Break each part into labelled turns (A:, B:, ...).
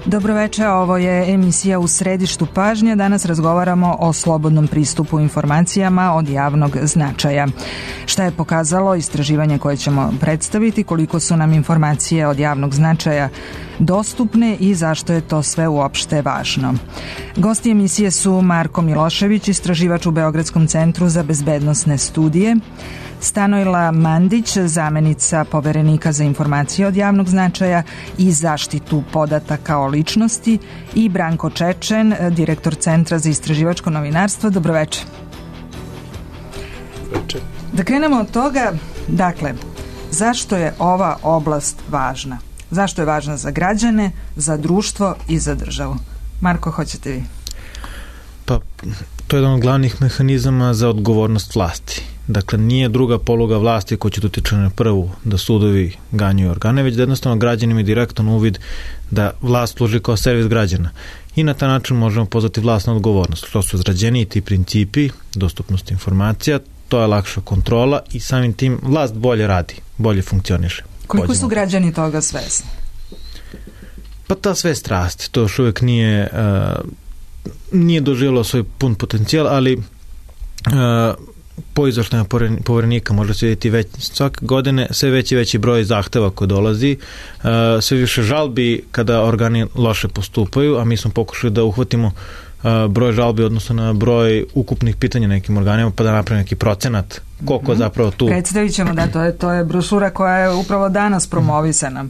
A: Dobroveče, ovo je emisija U središtu pažnje. Danas razgovaramo o slobodnom pristupu informacijama od javnog značaja. Šta je pokazalo istraživanje koje ćemo predstaviti, koliko su nam informacije od javnog značaja dostupne i zašto je to sve uopšte važno. Gosti emisije su Marko Milošević, istraživač u Beogradskom centru za bezbednosne studije, Stanojla Mandić, zamenica Poverenika za informacije od javnog značaja i zaštitu podataka o ličnosti, i Branko Čečen, direktor Centra za istraživačko novinarstvo. Dobroveče.
B: Dobroveče.
A: Da krenemo od toga, dakle, zašto je ova oblast važna? Zašto je važna za građane, za društvo i za državu? Marko, hoćete vi?
B: Pa, to je jedan od glavnih mehanizama za odgovornost vlasti. Dakle, nije druga poluga vlasti koja će utiče na prvu da sudovi ganjaju organe, već da jednostavno građani imaju direktan uvid da vlast služi kao servis građana. I na taj način možemo pozvati vlast na odgovornost. To su izrađeniji ti principi, dostupnost informacija, to je lakša kontrola i samim tim vlast bolje radi, bolje funkcioniše.
A: Koliko su građani toga svesni?
B: Pa ta svest raste. To još uvijek nije doživjelo svoj pun potencijal, ali po izveštajima Poverenika može se vidjeti već svake godine sve veći broj zahteva koji dolazi, sve više žalbi kada organi loše postupaju, a mi smo pokušali da uhvatimo broj žalbi odnosno na broj ukupnih pitanja nekim organima, pa da napravimo neki procenat koliko zapravo tu.
A: Predstavit ćemo, da, to je brošura koja je upravo danas promovisana.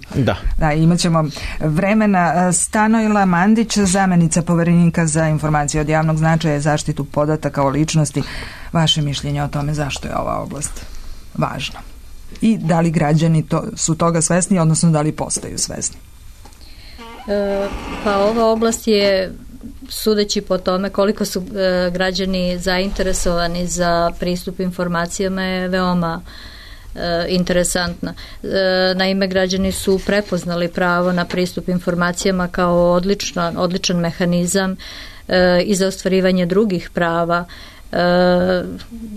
A: Da, imat ćemo vremena. Stanojla Mandić, zamenica Poverenika za informacije od javnog značaja i zaštitu podataka o ličnosti. Vaše mišljenje o tome zašto je ova oblast važna? I da li građani su toga svesni, odnosno da li postaju svesni?
C: Pa ova oblast je, sudeći po tome koliko su građani zainteresovani za pristup informacijama, je veoma interesantna. Naime, građani su prepoznali pravo na pristup informacijama kao odličan mehanizam i za ostvarivanje drugih prava,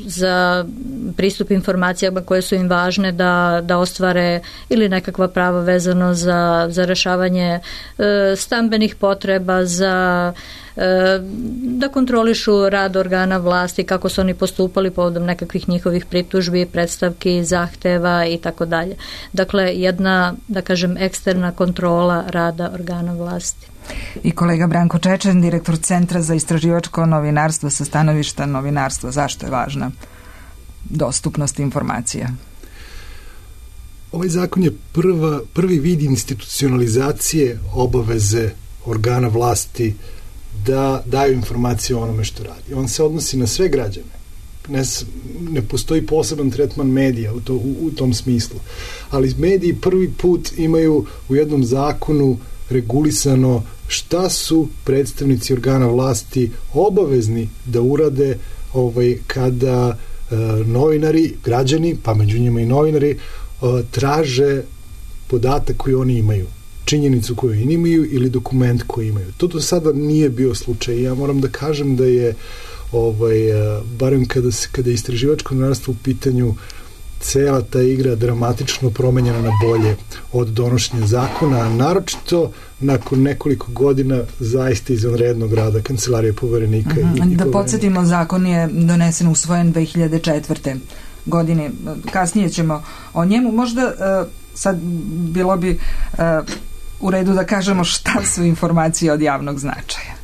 C: za pristup informacijama koje su im važne da ostvare ili nekakva prava vezano za rešavanje stambenih potreba, da kontrolišu rad organa vlasti, kako su oni postupali povodom nekakvih njihovih pritužbi, predstavki, zahteva i tako dalje. Dakle, jedna, da kažem, eksterna kontrola rada organa vlasti.
A: I kolega Branko Čečen, direktor Centra za istraživačko novinarstvo sa stanovišta novinarstva. Zašto je važna dostupnost informacija?
D: Ovaj zakon je prvi vid institucionalizacije obaveze organa vlasti da daju informacije o onome što radi. On se odnosi na sve građane. Ne postoji poseban tretman medija u tom smislu. Ali mediji prvi put imaju u jednom zakonu regulisano šta su predstavnici organa vlasti obavezni da urade kada novinari, građani, pa među njima i novinari, traže podatak koji oni imaju, činjenicu koju oni imaju ili dokument koji imaju. To do sada nije bio slučaj. Ja moram da kažem da je barem kada je istraživačko novinarstvo u pitanju, cela ta igra dramatično promenjena na bolje od donošenja zakona, a naročito nakon nekoliko godina zaista izvanrednog rada Kancelarije Poverenika.
A: Da podsjetimo, zakon je donesen, usvojen 2004. godine. Kasnije ćemo o njemu. Možda sad bilo bi u redu da kažemo šta su informacije od javnog značaja.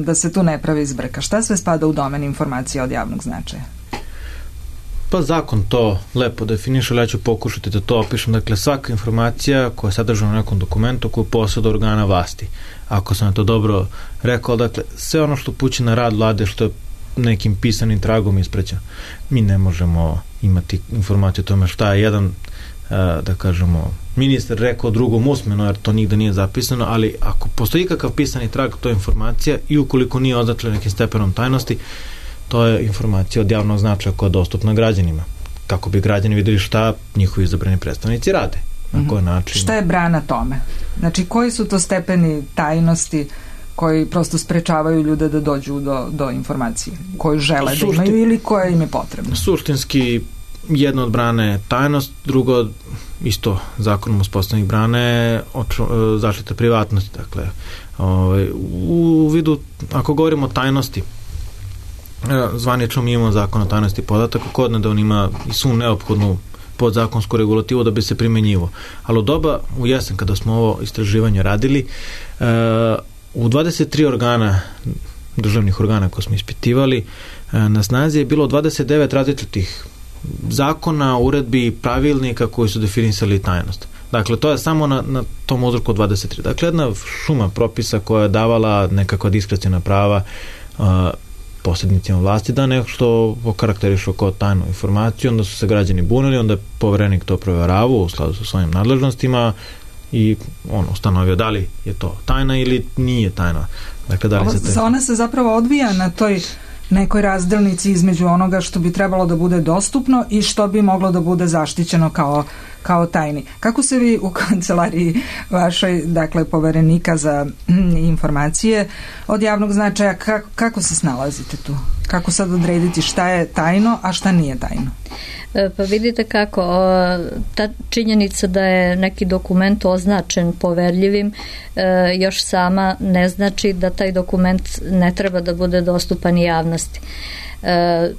A: Da se tu ne pravi zbrka. Šta sve spada u domen informacija od javnog značaja?
B: Pa zakon to lepo definiše, ali ja ću pokušati da to opišem. Dakle, svaka informacija koja je sadržana u nekom dokumentu koju posjeduje organa vlasti. Ako sam to dobro rekao, dakle, sve ono što pući na rad vlade, što je nekim pisanim tragom ispreća. Mi ne možemo imati informaciju o tome šta je jedan, da kažemo, ministar rekao drugom usmeno, jer to nigde nije zapisano, ali ako postoji kakav pisani trag, to je informacija i ukoliko nije označena nekim stepenom tajnosti, to je informacija od javnog značaja koja je dostupna građanima. Kako bi građani videli šta njihovi izabrani predstavnici rade. Na koji način.
A: Šta je brana tome? Znači, koji su to stepeni tajnosti koji prosto sprečavaju ljude da dođu do informacije koju žele da imaju ili koja im je potrebna?
B: Suštinski, jedna od brana je tajnost, drugo isto zakonom uspostavljenih brane zaštita privatnosti. Dakle, u vidu, ako govorimo o tajnosti, zvanično mi imamo zakon o tajnosti podataka, kod da on ima i svu neophodnu podzakonsku regulativu da bi se primenjivo. Ali u doba, u jesen, kada smo ovo istraživanje radili, u 23 organa, državnih organa koje smo ispitivali, na snazi je bilo 29 različitih zakona, uredbi i pravilnika koji su definisali tajnost. Dakle, to je samo na tom uzorku 23. Dakle, jedna šuma propisa koja je davala nekakva diskreciona prava posrednicima vlasti da nešto okarakterišu kao tajnu informaciju, onda su se građani bunili, onda je Poverenik to proveravao u skladu sa svojim nadležnostima i ustanovio da li je to tajna ili nije tajna. Dakle, da li
A: ona se zapravo odvija na toj nekoj razdelnici između onoga što bi trebalo da bude dostupno i što bi moglo da bude zaštićeno kao tajni. Kako se vi u kancelariji vašoj, dakle, Poverenika za informacije od javnog značaja, kako se snalazite tu? Kako sad odrediti šta je tajno, a šta nije tajno?
C: Pa vidite kako, ta činjenica da je neki dokument označen poverljivim još sama ne znači da taj dokument ne treba da bude dostupan javnosti.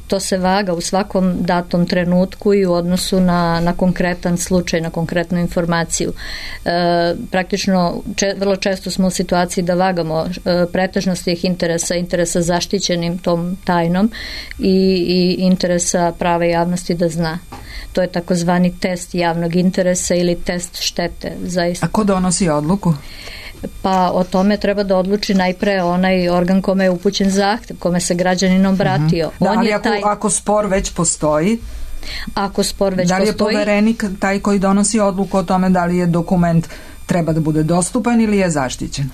C: To se vaga u svakom datom trenutku i u odnosu na konkretan slučaj, na konkretnu informaciju. Praktično, vrlo često smo u situaciji da vagamo pretežnost tih interesa zaštićenim tom tajnom i interesa prava javnosti da zna. To je takozvani test javnog interesa ili test štete. Zaista.
A: A ko donosi odluku?
C: Pa o tome treba da odluči najpre onaj organ kome je upućen zahtev, kome se građanin obratio.
A: Da, ali ako spor već postoji, da li je Poverenik taj koji donosi odluku o tome da li je dokument treba da bude dostupan ili je zaštićen?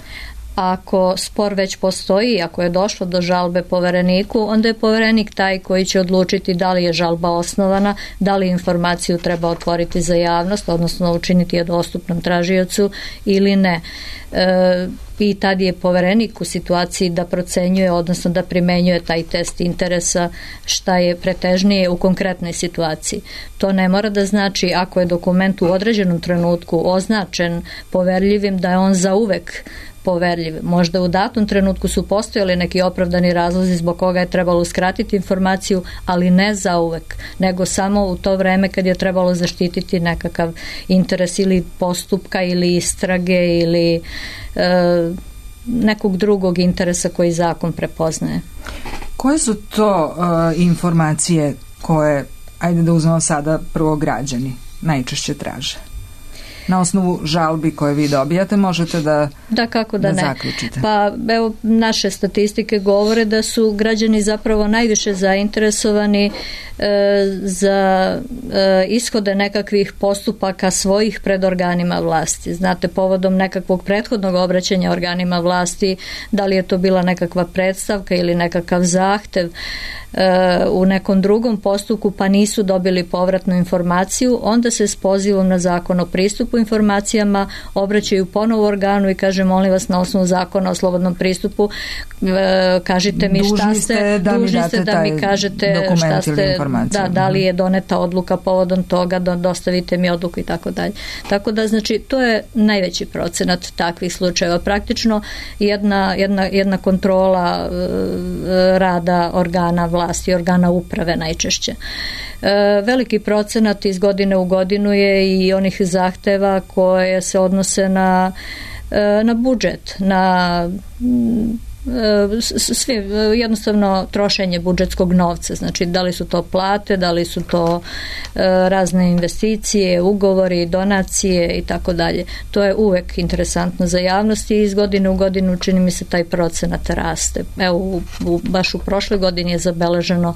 C: Ako spor već postoji, ako je došlo do žalbe Povereniku, onda je Poverenik taj koji će odlučiti da li je žalba osnovana, da li informaciju treba otvoriti za javnost, odnosno učiniti je dostupnom tražiocu ili ne. I tad je Poverenik u situaciji da procenjuje, odnosno da primenjuje taj test interesa šta je pretežnije u konkretnoj situaciji. To ne mora da znači ako je dokument u određenom trenutku označen poverljivim da je on zauvek poverljiv. Možda u datom trenutku su postojali neki opravdani razlozi zbog koga je trebalo uskratiti informaciju, ali ne zauvek, nego samo u to vreme kad je trebalo zaštititi nekakav interes ili postupka ili istrage ili nekog drugog interesa koji zakon prepoznaje.
A: Koje su to informacije koje, ajde da uzmemo sada prvo, građani najčešće traže? Na osnovu žalbi koje vi dobijate možete da zaključite.
C: Pa evo, naše statistike govore da su građani zapravo najviše zainteresovani za ishode nekakvih postupaka svojih pred organima vlasti. Znate, povodom nekakvog prethodnog obraćanja organima vlasti, da li je to bila nekakva predstavka ili nekakav zahtev u nekom drugom postupku pa nisu dobili povratnu informaciju, onda se s pozivom na zakon o pristupu informacijama obraćaju ponovo organu i kaže, molim vas, na osnovu zakona o slobodnom pristupu kažite mi šta ste, dužni ste da mi kažete šta ste, da li je doneta odluka povodom toga, da dostavite mi odluku i tako dalje. Tako da, znači, to je najveći procenat takvih slučajeva. Praktično jedna kontrola rada organa vlasti, organa uprave najčešće. Veliki procenat iz godine u godinu je i onih zahteva koje se odnose na budžet, na jednostavno trošenje budžetskog novca, znači da li su to plate, da li su to razne investicije, ugovori, donacije i tako dalje. To je uvek interesantno za javnost i iz godine u godinu čini mi se taj procenat raste. Evo, baš u prošloj godini je zabeleženo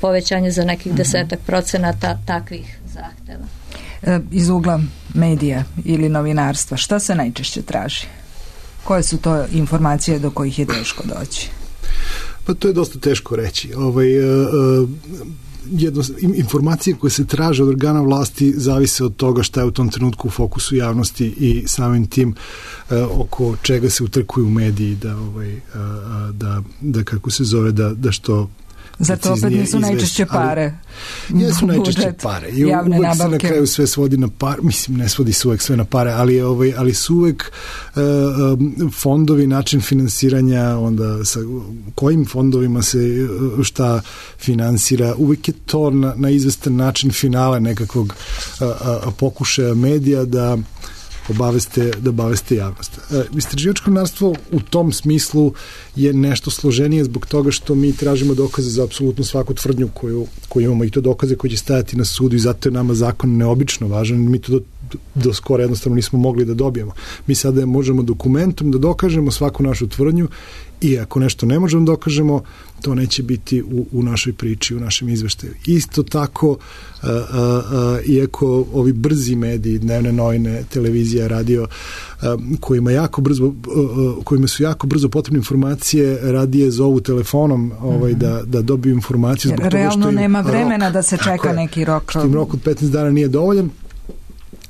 C: povećanje za nekih 10% takvih zahteva.
A: Iz ugla medija ili novinarstva, šta se najčešće traži? Koje su to informacije do kojih je teško doći?
D: Pa to je dosta teško reći. Informacije koje se traže od organa vlasti zavise od toga šta je u tom trenutku u fokusu javnosti i samim tim oko čega se utrkuju mediji da kako se zove, da što
A: Zato opet nisu najčešće pare.
D: Jesu najčešće pare. I uvek se na kraju sve svodi na pare. Mislim, ne svodi se uvek sve na pare, ali su uvek fondovi, način finansiranja, onda sa kojim fondovima se šta finansira. Uvek je to na izvestan način finale nekakvog pokušaja medija da obaveste javnost. Istraživačko novinarstvo u tom smislu je nešto složenije zbog toga što mi tražimo dokaze za apsolutno svaku tvrdnju koju imamo, i to dokaze koji će stajati na sudu, i zato je nama zakon neobično važan. Mi to do skoro jednostavno nismo mogli da dobijemo. Mi sada možemo dokumentom da dokažemo svaku našu tvrdnju, i ako nešto ne možemo da dokažemo, to neće biti u našoj priči, u našem izveštaju. Isto tako, iako ovi brzi mediji, dnevne novine, televizija, radio, kojima su jako brzo potrebne informacije, radije zovu telefonom da dobiju informaciju.
A: Jer realno nema vremena da se čeka neki rok.
D: Što im rok od 15 dana nije dovoljan.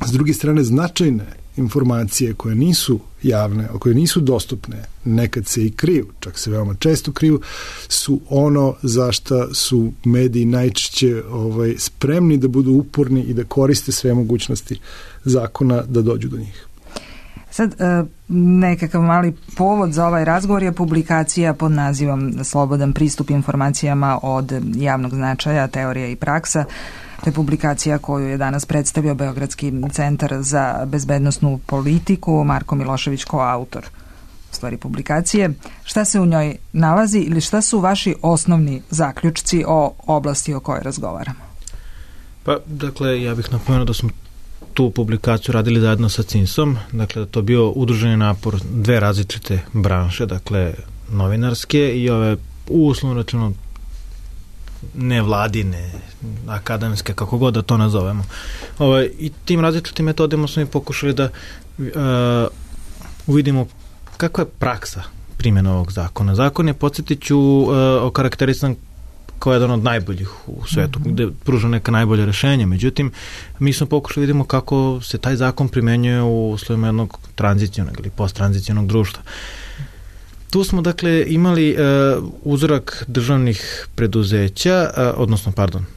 D: S druge strane, značajne informacije koje nisu javne, koje nisu dostupne, nekad se i kriju, čak se veoma često kriju, su ono za šta su mediji najčešće spremni da budu uporni i da koriste sve mogućnosti zakona da dođu do njih.
A: Sad, nekakav mali povod za ovaj razgovor je publikacija pod nazivom Slobodan pristup informacijama od javnog značaja, teorija i praksa. To je publikacija koju je danas predstavio Beogradski centar za bezbednosnu politiku, Marko Milošević koautor stvari publikacije. Šta se u njoj nalazi ili šta su vaši osnovni zaključci o oblasti o kojoj razgovaramo?
B: Pa, dakle, ja bih napomenuo da smo tu publikaciju radili zajedno sa CINS-om, dakle da to bio udruženi napor dve različite branše, dakle novinarske i ove uslovno rečeno nevladine, akademske, kako god da to nazovemo. I tim različitim metodima smo i pokušali da uvidimo kakva je praksa primjena ovog zakona. Zakon je, podsjetit ću, okarakterisan kao jedan od najboljih u svetu, gde pruža neka najbolja rešenja. Međutim, mi smo pokušali vidimo kako se taj zakon primenjuje u uslovima jednog tranzicionog ili posttranzicionog društva. Tu smo, dakle, imali uzorak državnih preduzeća,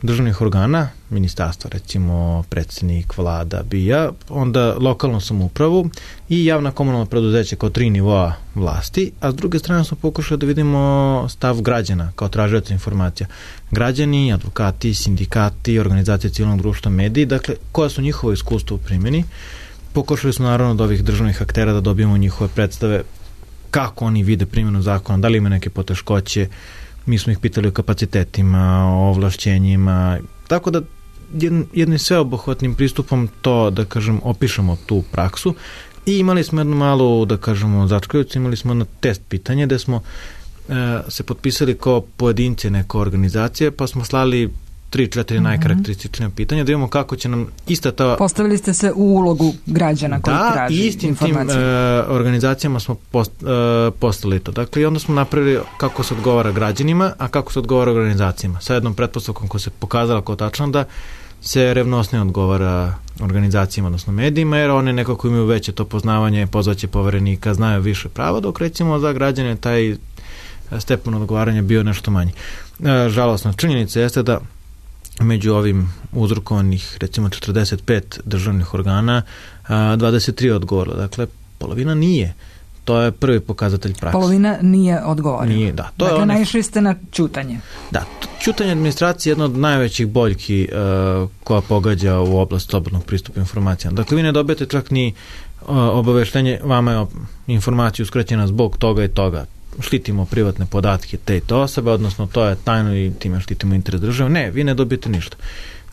B: državnih organa, ministarstva, recimo predsjednik, vlada, BIA, onda lokalnu samoupravu i javna komunalna preduzeća kao 3 nivoa vlasti, a s druge strane smo pokušali da vidimo stav građana kao tražioca informacija. Građani, advokati, sindikati, organizacije civilnog društva, mediji, dakle, koja su njihova iskustva u primjeni. Pokušali smo naravno od ovih državnih aktera da dobijemo njihove predstave kako oni vide primjenu zakona, da li ima neke poteškoće. Mi smo ih pitali o kapacitetima, o ovlašćenjima, tako da jednim sveobuhvatnim pristupom to, da kažem, opišemo tu praksu. I imali smo jednu malu, da kažemo, začkoljicu, imali smo jedno test pitanje gde smo se potpisali kao pojedinci neke organizacije, pa smo slali 3-4 najkarakterističnija pitanja, da vidimo kako će nam ista ta...
A: Postavili ste se u ulogu građana koji traži informacije. Da, i istim
B: tim organizacijama smo postavili to. Dakle, i onda smo napravili kako se odgovara građanima, a kako se odgovara organizacijama. Sa jednom pretpostavkom koja se pokazala kao tačno da se revnosnije odgovara organizacijama, odnosno medijima, jer one nekako imaju veće to poznavanje, pozvaće poverenika, znaju više prava, dok recimo za građane taj stepen odgovaranja bio nešto manji. Žalosna činjenica jeste da među ovim uzrokovanih recimo 45 državnih organa 23 odgovorila. Dakle, polovina nije. To je prvi pokazatelj prakse.
A: Polovina nije odgovorila.
B: Nije, da. To
A: dakle, naišli ste na ćutanje.
B: Da, ćutanje administracije je jedna od najvećih boljki koja pogađa u oblast slobodnog pristupa informacijama. Dakle, vi ne dobijete čak ni obaveštenje, vama je informacija uskraćena zbog toga i toga. Štitimo privatne podatke te i to osobe, odnosno to je tajno i time štitimo interes države. Ne, vi ne dobijete ništa.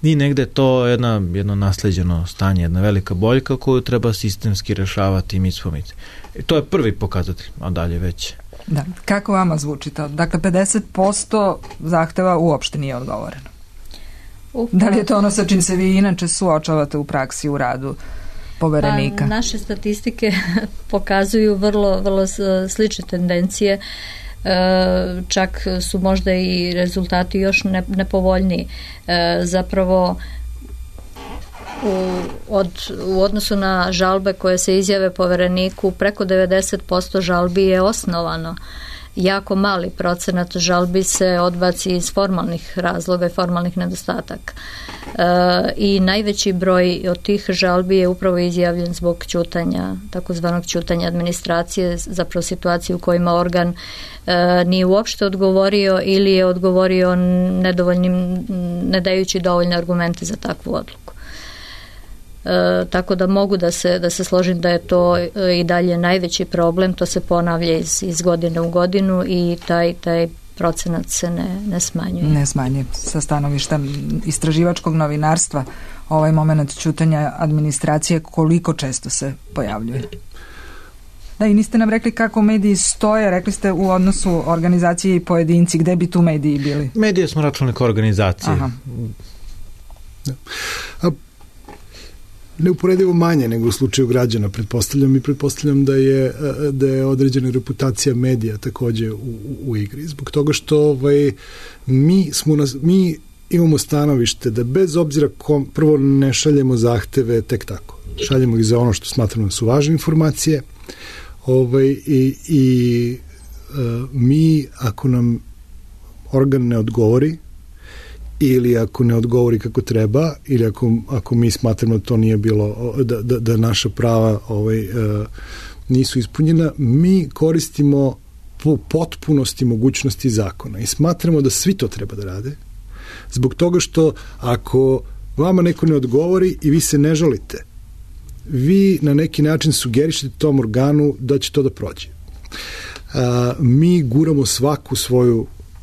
B: I negde to je jedno nasleđeno stanje, jedna velika boljka koju treba sistemski rešavati i mi spomice. I to je prvi pokazatelj, a dalje već.
A: Da. Kako vama zvuči to? Dakle, 50% zahteva uopšte nije odgovoreno. Da li je to ono sa čim se vi inače suočavate u praksi, u radu poverenika?
C: Pa, naše statistike pokazuju vrlo slične tendencije, čak su možda i rezultati još nepovoljniji. Zapravo u odnosu na žalbe koje se izjave povereniku, preko 90% žalbi je osnovano jako mali procenat žalbi se odbaci iz formalnih razloga i formalnih nedostataka. I najveći broj od tih žalbi je upravo izjavljen zbog ćutanja, takozvanog ćutanja administracije, zapravo situacije u kojima organ nije uopšte odgovorio ili je odgovorio ne dajući dovoljne argumente za takvu odluku. Tako da mogu da se složim da je to i dalje najveći problem, to se ponavlja iz godine u godinu i taj procenat se ne smanjuje.
A: Ne smanjuje. Sa stanovišta istraživačkog novinarstva ovaj moment ćutanja administracije koliko često se pojavljuje? Da, i niste nam rekli kako mediji stoje, rekli ste u odnosu organizacije i pojedinci, gde bi tu mediji bili?
B: Medije smo računali kao organizacije.
A: Aha.
D: Neuporedivo manje nego u slučaju građana, pretpostavljam da je određena reputacija medija takođe u igri. Zbog toga što mi imamo stanovište da bez obzira prvo ne šaljemo zahteve tek tako. Šaljemo ih za ono što smatramo da su važne informacije mi ako nam organ ne odgovori ili ako ne odgovori kako treba ili ako mi smatramo da to nije bilo da naša prava nisu ispunjena, mi koristimo po potpunosti mogućnosti zakona i smatramo da svi to treba da rade zbog toga što ako vama neko ne odgovori i vi se ne žalite, vi na neki način sugerišete tom organu da će to da prođe. Mi guramo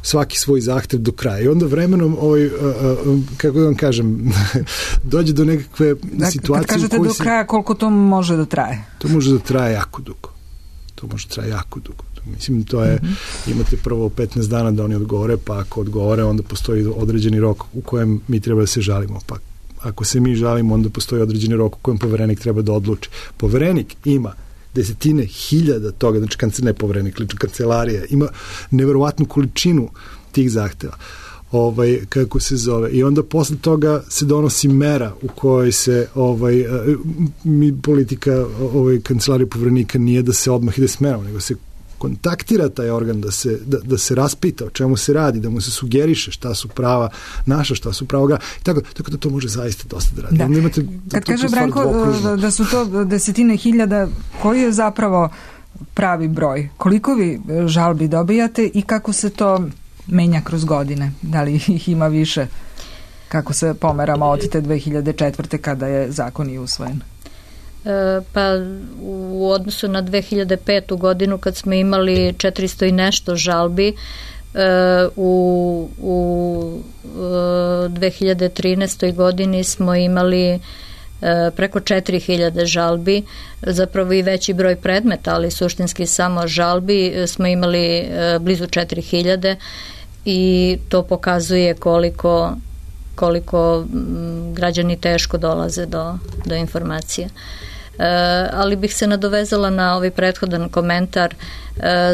D: svaki svoj zahtev do kraja i onda vremenom kako da vam kažem dođe do nekakve situacije.
A: Kad kažete do kraja, koliko to može da traje?
D: To može da traje jako dugo. Mislim, to je, imate prvo 15 dana da oni odgovore, pa ako odgovore, onda postoji određeni rok u kojem mi treba da se žalimo, pa ako se mi žalimo, onda postoji određeni rok u kojem poverenik treba da odluči. Poverenik ima desetine hiljada toga, znači ne poverenik, lično kancelarija, ima neverovatnu količinu tih zahteva, kako se zove. I onda posle toga se donosi mera u kojoj se politika kancelarije poverenika nije da se odmah ide s merom, nego se kontaktira taj organ da se raspita o čemu se radi, da mu se sugeriše šta su prava naša, šta su prava tako da to može zaista dosta da radi.
A: Da. Kad kaže Branko da su to desetine hiljada, koji je zapravo pravi broj? Koliko vi žalbi dobijate i kako se to menja kroz godine? Da li ih ima više? Kako se pomeramo od te 2004. kada je zakon i usvojen?
C: Pa u odnosu na 2005. godinu kad smo imali 400 i nešto žalbi, u 2013. godini smo imali preko 4000 žalbi, zapravo i veći broj predmeta, ali suštinski samo žalbi smo imali blizu 4000 i to pokazuje koliko građani teško dolaze do informacija. Ali bih se nadovezala na ovaj prethodan komentar.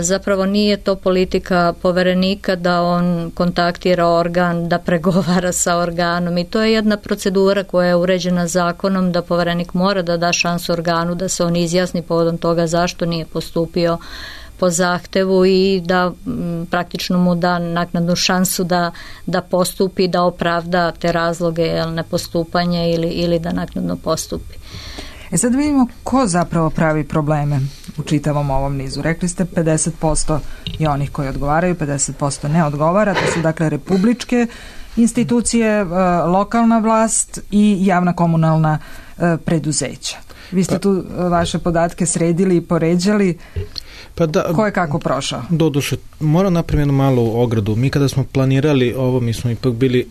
C: Zapravo nije to politika poverenika da on kontaktira organ, da pregovara sa organom i to je jedna procedura koja je uređena zakonom da poverenik mora da da šansu organu da se on izjasni povodom toga zašto nije postupio po zahtevu i da praktično mu da naknadnu šansu da postupi, da opravda te razloge nepostupanja ili da naknadno postupi.
A: Sad vidimo ko zapravo pravi probleme u čitavom ovom nizu. Rekli ste 50% je onih koji odgovaraju, 50% ne odgovara. To su dakle republičke institucije, lokalna vlast i javna komunalna preduzeća. Vi ste tu vaše podatke sredili i poređali. Pa da, ko je kako prošao?
B: Doduše, moram napraviti jednu malu ogradu. Mi kada smo planirali ovo, mi smo ipak bili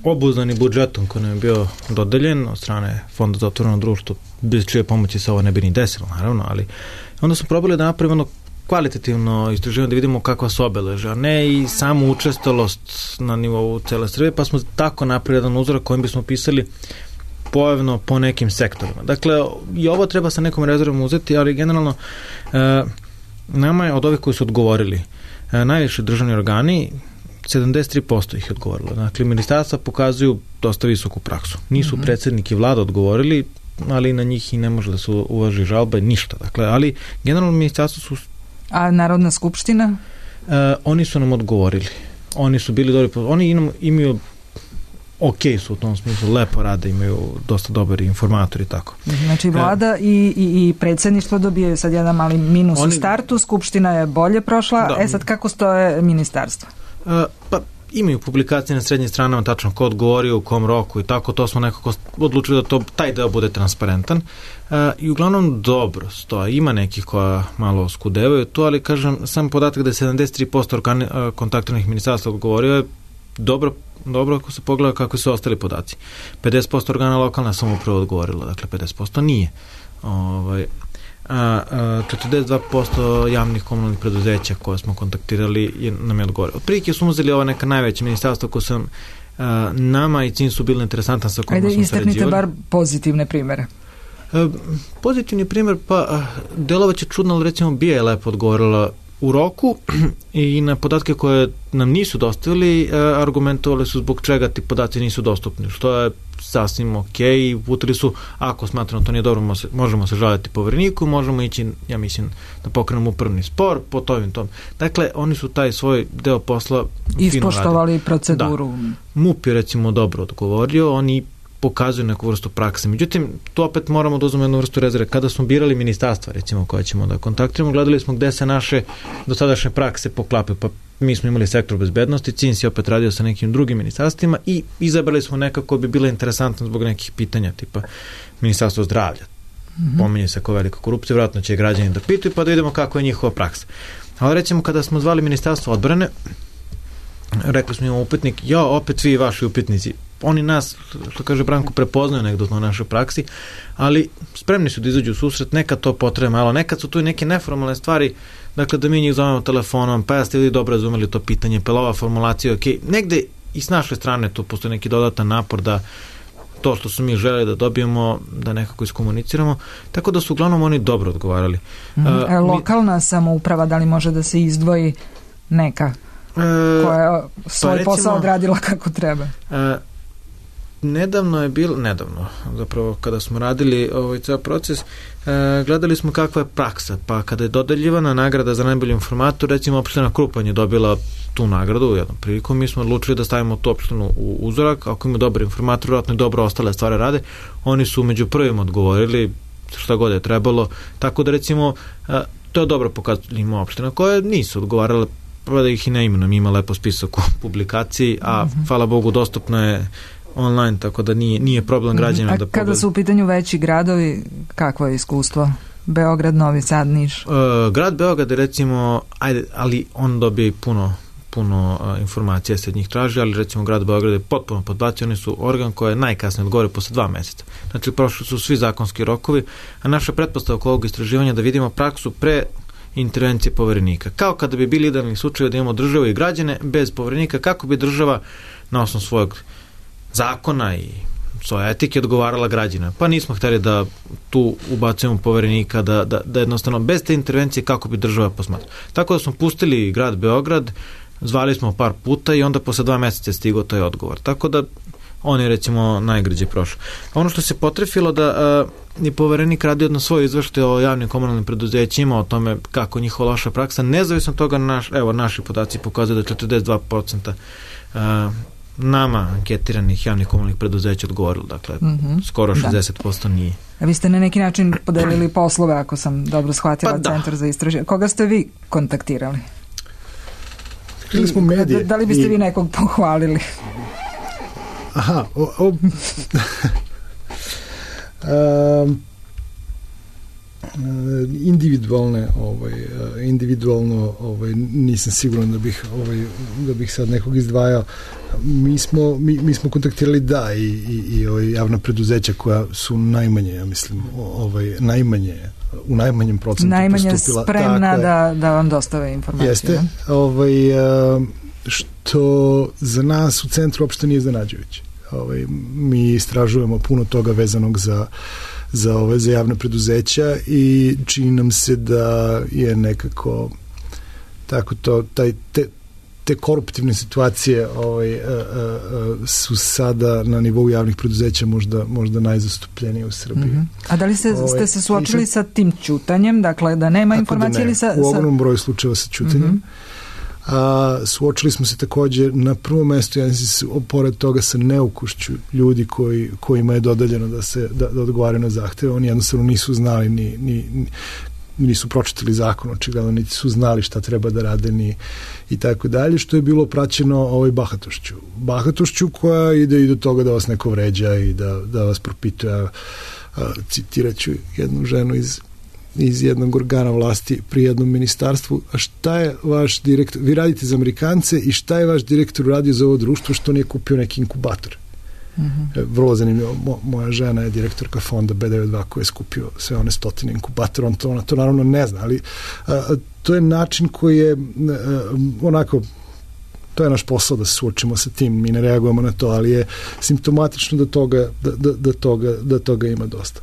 B: obuzdani budžetom koji nam je bio dodeljen od strane Fonda za otvoreno društvo, bez čije pomoći se ovo ne bi ni desilo, naravno, ali onda smo probali da napravimo kvalitativno istraživanje, da vidimo kakva su obeleže, a ne i samu učestalost na nivou cele Srbije, pa smo tako napravili jedan uzorak kojim bismo pisali pojavno po nekim sektorima. Dakle, i ovo treba sa nekom rezervom uzeti, ali generalno nama je od ovih koji su odgovorili najviše državni organi, 73% ih je odgovorilo. Dakle, ministarstva pokazuju dosta visoku praksu. Nisu predsjednik i vlada odgovorili, ali na njih i ne može da se uvaži žalba, ništa. Dakle, ali generalno ministarstvo su...
A: A Narodna skupština?
B: Oni su nam odgovorili. Oni su bili dobri, oni imaju su u tom smislu, lepo rade, imaju dosta dobri informatori i tako.
A: Znači vlada i predsjedništvo dobijaju sad jedan mali minus u startu, skupština je bolje prošla, sad kako stoje ministarstva?
B: Pa imaju publikacije na srednjim stranama tačno ko odgovorio, u kom roku i tako, to smo nekako odlučili da taj deo bude transparentan i uglavnom dobro stoje. Ima nekih koja malo skudevaju to, ali kažem, sam podatak da je 73% kontaktiranih ministarstva odgovorio je dobro ako se pogleda kako su ostali podaci. 50% organa lokalna samouprava odgovorilo, dakle 50% nije. 42% javnih komunalnih preduzeća koje smo kontaktirali nam je odgovorilo. Otprilike smo uzeli ova neka najveća ministarstva koja su nama i cilj su bili interesantan sa kojima smo sređivali.
A: Istaknite bar pozitivne primere.
B: Pozitivni primjer, pa delovaće čudno, ali recimo BIA je lepo odgovorila u roku i na podatke koje nam nisu dostavili, argumentovali su zbog čega ti podaci nisu dostupni, što je sasvim ok, i uputili su, ako smatramo to nije dobro, možemo se žaliti Povereniku, možemo ići, ja mislim, da pokrenemo upravni spor po tom. Dakle, oni su taj svoj deo posla
A: ispoštovali proceduru.
B: Da. MUP je recimo dobro odgovorio, oni pokazuju neku vrstu prakse. Međutim, tu opet moramo da uzmemo jednu vrstu rezerve. Kada smo birali ministarstva, recimo, koje ćemo da kontaktiramo, gledali smo gde se naše dosadašnje prakse poklapaju. Pa mi smo imali sektor bezbednosti, CINS je opet radio sa nekim drugim ministarstvima i izabrali smo nekako bi bilo interesantno zbog nekih pitanja, tipa ministarstvo zdravlja. Pominje se kao velika korupcija, vjerojatno će građani da pitaju, pa da vidimo kako je njihova praksa. Ali recimo, kada smo zvali ministarstvo odbrane, rekli smo imamo upitnik, opet vi i vaši upitnici. Oni nas, što kaže Branko, prepoznaju negdje na našoj praksi, ali spremni su da izađu u susret, nekad to potrebe malo, nekad su tu i neke neformalne stvari, dakle da mi njih zovemo telefonom, pa jeste li dobro razumeli to pitanje, pa ova formulacija, ok, negde i s naše strane tu postoji neki dodatan napor da to što su mi želeli da dobijemo, da nekako iskomuniciramo, tako da su uglavnom oni dobro odgovarali.
A: Lokalna samouprava, da li može da se izdvoji neka koja je svoj posao odradila kako treba?
B: Nedavno, zapravo kada smo radili ovaj ceo proces, gledali smo kakva je praksa, pa kada je dodeljivana nagrada za najbolji informator, recimo opština Krupanj je dobila tu nagradu u jednom priliku, mi smo odlučili da stavimo tu opštinu u uzorak, ako imaju dobar informator, vjerojatno i dobro ostale stvari rade, oni su među prvim odgovorili šta god je trebalo, tako da recimo to je dobro pokazati, ima opština koje nisu odgovarale, da ih i ne imenom, ima lepo spisak u publikaciji, a hvala Bogu dostupno je online, tako da nije problem građanima da pogledaju.
A: Kada su u pitanju veći gradovi, kakvo je iskustvo? Beograd, Novi Sad, Niš?
B: Grad Beograd je recimo, ali on dobije i puno informacija se od njih traži, ali recimo grad Beograd je potpuno podbacio, oni su organ koji je najkasnije odgovore posle 2 meseca. Znači, prošli su svi zakonski rokovi, a naša pretpostavka ovog istraživanja da vidimo praksu pre intervencije Poverenika. Kao kada bi bili idealni slučaj da imamo državu i građane bez Poverenika, kako bi država na osnovu svojeg zakona i svoje etike odgovarala građana. Pa nismo htjeli da tu ubacujemo Poverenika, da jednostavno bez te intervencije kako bi država posmatrala. Tako da smo pustili grad Beograd, zvali smo par puta i onda posle 2 meseca stigao taj odgovor. Tako da on je recimo najgrđe prošao. Ono što se potrefilo da je Poverenik radio na svoj izveštaj o javnim komunalnim preduzećima, o tome kako njihova loša praksa, nezavisno toga naši podaci pokazuju da 42% nama anketiranih javnih komunalnih preduzeća odgovorilo, dakle skoro 60% nije.
A: A vi ste na neki način podelili poslove, ako sam dobro shvatila, Centar za istraživanje. Koga ste vi kontaktirali?
D: Smo medije.
A: Da li biste vi nekog pohvalili?
D: Aha, individualno nisam siguran da bih sad nekog izdvajao. Mi smo kontaktirali i javna preduzeća koja su najmanje, ja mislim, u najmanjem procentu
A: najmanje spremna da vam dostave informacije.
D: Jeste, što za nas u centru uopšte nije iznenađujuće. Mi istražujemo puno toga vezanog za javne preduzeća i čini nam se da je nekako tako te koruptivne situacije su sada na nivou javnih preduzeća možda najzastupljenije u Srbiji.
A: A da li ste se suočili sa tim ćutanjem, dakle da nema informacije ili sa...
D: U ogromnom broju slučajeva sa ćutanjem. Suočili smo se takođe na prvom mestu, pored toga sa neukušću ljudi kojima je dodeljeno da odgovaraju na zahteve. Oni jednostavno nisu znali nisu pročitali zakon, očigledno niti su znali šta treba da rade i tako dalje, što je bilo praćeno bahatošću koja ide i do toga da vas neko vređa i da vas propituje. Citiraću jednu ženu iz jednog organa vlasti pri jednom ministarstvu, a šta je vaš direktor, vi radite za Amerikance i šta je vaš direktor uradio za ovo društvo što nije kupio neki inkubator? Vrlo zanimljivo, moja žena je direktorka fonda B92 koji je skupio sve one 100 inkubatora, ona to naravno ne zna, ali to je način koji je onako, to je naš posao da se suočimo sa tim, mi ne reagujemo na to, ali je simptomatično da toga ima dosta.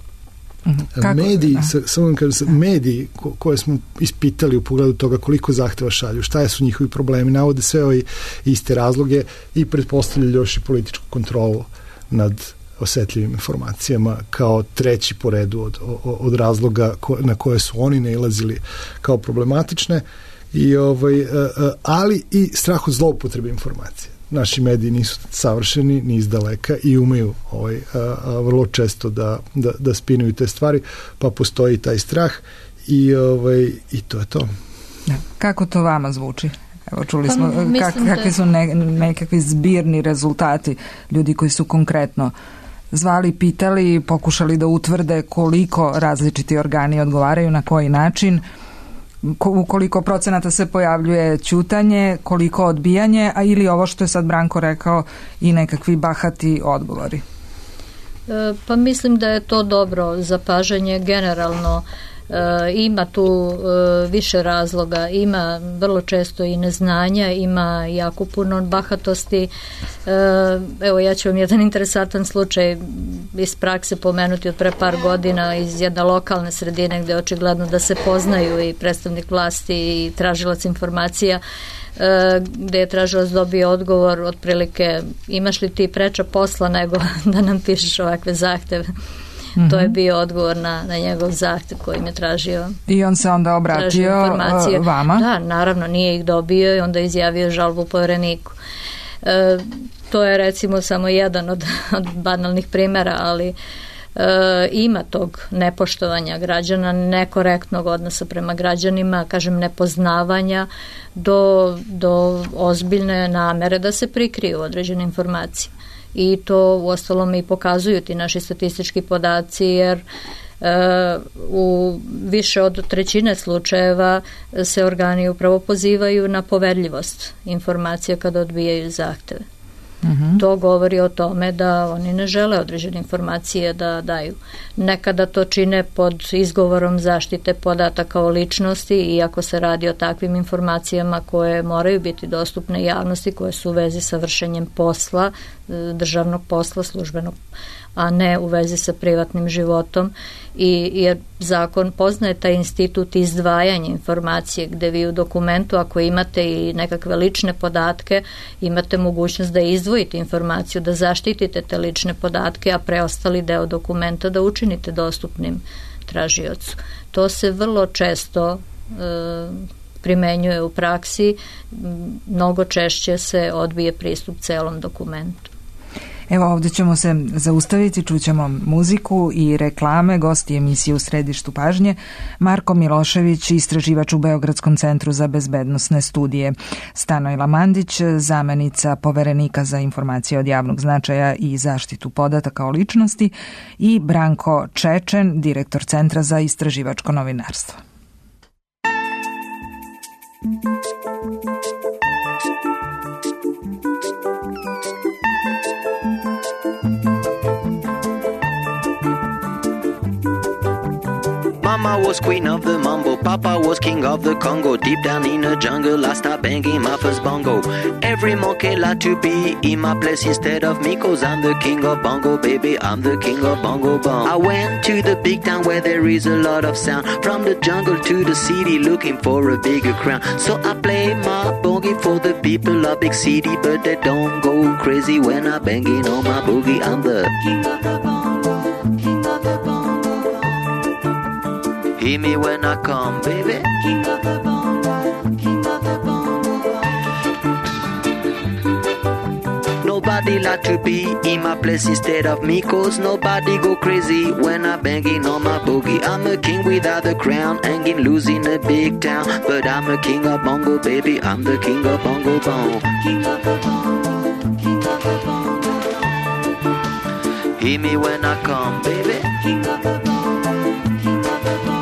D: Mediji koje smo ispitali u pogledu toga koliko zahteva šalju, šta su njihovi problemi, navode sve ove iste razloge i pretpostavljaju još i političku kontrolu nad osetljivim informacijama kao treći po redu od razloga na koje su oni nailazili kao problematične, ali i strah od zloupotrebe informacije. Naši mediji nisu savršeni ni izdaleka i umeju vrlo često da spinuju te stvari, pa postoji taj strah i to je to.
A: Kako to vama zvuči? Evo, čuli smo kakvi su nekakvi zbirni rezultati ljudi koji su konkretno zvali, pitali, pokušali da utvrde koliko različiti organi odgovaraju, na koji način, u koliko procenata se pojavljuje ćutanje, koliko odbijanje, a ili ovo što je sad Branko rekao i nekakvi bahati odgovori.
C: Pa mislim da je to dobro zapažanje generalno. Ima tu više razloga, ima vrlo često i neznanja, ima jako puno bahatosti. Evo, ja ću vam jedan interesantan slučaj iz prakse pomenuti od pre par godina iz jedne lokalne sredine gde je očigledno da se poznaju i predstavnik vlasti i tražilac informacija, gde je tražilac dobio odgovor otprilike imaš li ti preča posla nego da nam pišeš ovakve zahteve. To je bio odgovor na njegov zahtev kojim je tražio.
A: I on se onda obratio vama?
C: Da, naravno, nije ih dobio i onda izjavio žalbu Povereniku. To je recimo samo jedan od banalnih primjera, ali ima tog nepoštovanja građana, nekorektnog odnosa prema građanima, kažem nepoznavanja do ozbiljne namere da se prikriju određene informacije. I to uostalom i pokazuju ti naši statistički podaci, jer u više od 1/3 slučajeva se organi upravo pozivaju na poverljivost informacija kada odbijaju zahteve. To govori o tome da oni ne žele određene informacije da daju. Nekada to čine pod izgovorom zaštite podataka o ličnosti, iako se radi o takvim informacijama koje moraju biti dostupne javnosti, koje su u vezi sa vršenjem posla, državnog posla, službenog, a ne u vezi sa privatnim životom, jer zakon poznaje taj institut izdvajanja informacije, gde vi u dokumentu, ako imate i nekakve lične podatke, imate mogućnost da izdvojite informaciju, da zaštitite te lične podatke, a preostali deo dokumenta da učinite dostupnim tražiocu. To se vrlo često primenjuje u praksi, mnogo češće se odbije pristup celom dokumentu.
A: Evo, ovdje ćemo se zaustaviti, čućemo muziku i reklame. Gosti emisije U središtu pažnje Marko Milošević, istraživač u Beogradskom centru za bezbednosne studije, Stanojla Mandić, zamenica Poverenika za informacije od javnog značaja i zaštitu podataka o ličnosti, i Branko Čečen, direktor Centra za istraživačko novinarstvo.
E: Mama was queen of the mambo, Papa was king of the Congo. Deep down in the jungle, I started banging my first bongo. Every monkey like to be in my place instead of me, 'cause I'm the king of bongo, baby, I'm the king of bongo bong. I went to the big town where there is a lot of sound. From the jungle to the city, looking for a bigger crown. So I play my boogie for the people of big city, but they don't go crazy when I'm banging on my boogie. I'm the king of the bongo, king of the bongo bong. Hear me when I come, baby. King of the bongo, king of the bongo bong. Nobody like to be in my place instead of me, cause nobody go crazy when I'm banging on my boogie. I'm a king without a crown, hanging loose in a big town, but I'm a king of bongo, baby. I'm the king of bongo bong. King of the bongo, king of the bongo. Hear me when I come, baby. King of the bongo, king of the bongo.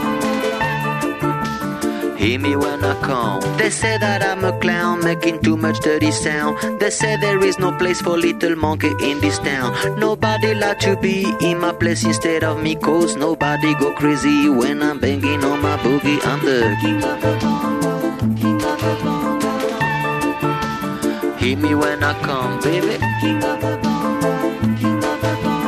E: Hear me when I come. They say that I'm a clown, making too much dirty sound. They say there is no place for little monkey in this town. Nobody like to be in my place instead of me, cause nobody go crazy when I'm banging on my boogie. I'm the king of the bongo, king of the bongo. Hear me when I come, baby. King of the bongo, king of the bongo.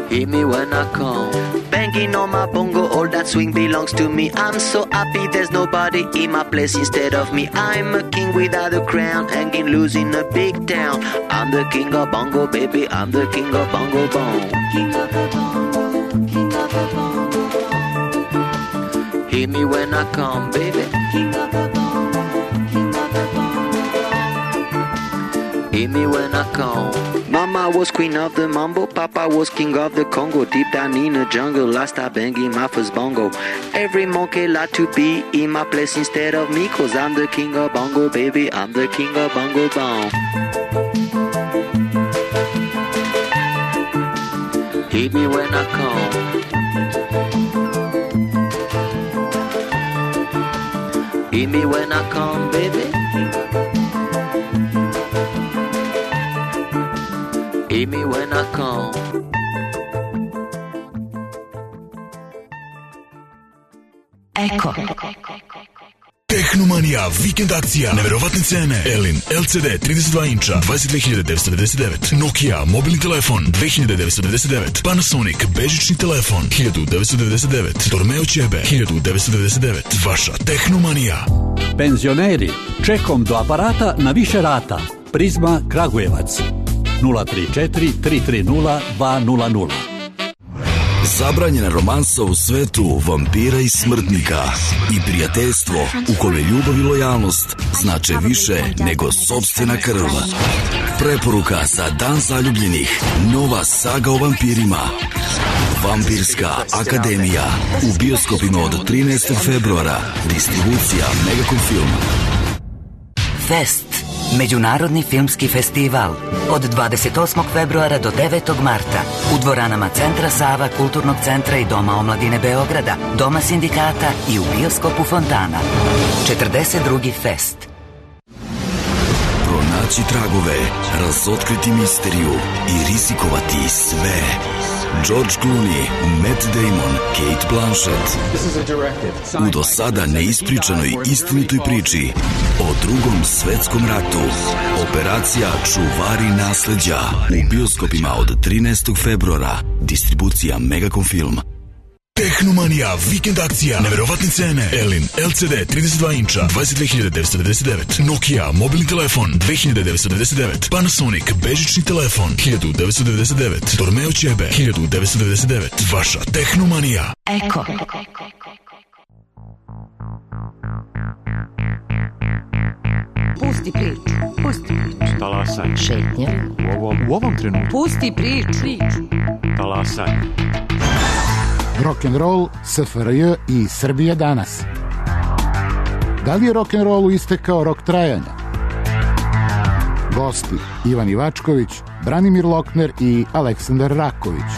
E: Hear me when I come. Banging on my bongo, all that swing belongs to me. I'm so happy there's nobody in my place instead of me. I'm a king without a crown, hanging loose in a big town. I'm the king of bongo, baby. I'm the king of bongo bong. King of the bongo, king of the bongo. Hear me when I come, baby. King of the bongo, king of the bongo. Hear me when I come. Mama was queen of the mambo, Papa was king of the Congo. Deep down in the jungle, I start banging my first bongo. Every monkey like to be in my place instead of me, cause I'm the king of bongo, baby. I'm the king of bongo bong. Hit me when I come. Hit me when I come, baby. Hear me when I come.
F: Eko.
G: Tehnomanija, vikend akcija, neverovatne cene. Elin LCD 32 inča 22.999, Nokia mobilni telefon 2.999, Panasonic bežični telefon 1.999, Dormeo ćebe 1.999. Vaša Tehnomanija.
H: Penzioneri, čekom do aparata na više rata. Prizma Kragujevac 034 330 200.
G: Zabranjena romansa u svetu vampira i smrtnika i prijateljstvo u kome ljubav i lojalnost znače više nego sopstvena krv. Preporuka za Dan zaljubljenih, nova saga o vampirima. Vampirska akademija u bioskopima od 13. februara. Distribucija Megacom Film.
F: Fest. Međunarodni filmski festival od 28. februara do 9. marta u dvoranama Centra Sava, Kulturnog centra i Doma omladine Beograda, Doma sindikata i u bioskopu Fontana. 42. fest.
G: Pronaći tragove, razotkriti misteriju i rizikovati sve. George Clooney, Matt Damon, Kate Blanchett u do sada neispričanoj istinitoj priči o Drugom svetskom ratu. Operacija Čuvari nasleđa u bioskopima od 13. februara. Distribucija Megacom Film. Tehnomanija, vikend akcija, neverovatne cene. Elin LCD 32 inča 22.999, Nokia mobilni telefon 2.999, Panasonic bežični telefon 1.999, Dormeo ćebe 1.999. Vaša Tehnomanija.
F: Eko.
I: Pusti priču. Pusti priču.
J: Talasaj.
F: Šetnja.
J: U ovom trenutku.
I: Pusti priču.
J: Talasaj.
K: Rock'n'roll, SFRJ i Srbija danas. Da li je rock'n'rollu istekao rok trajanja? Gosti Ivan Ivačković, Branimir Lokner i Aleksandar Raković.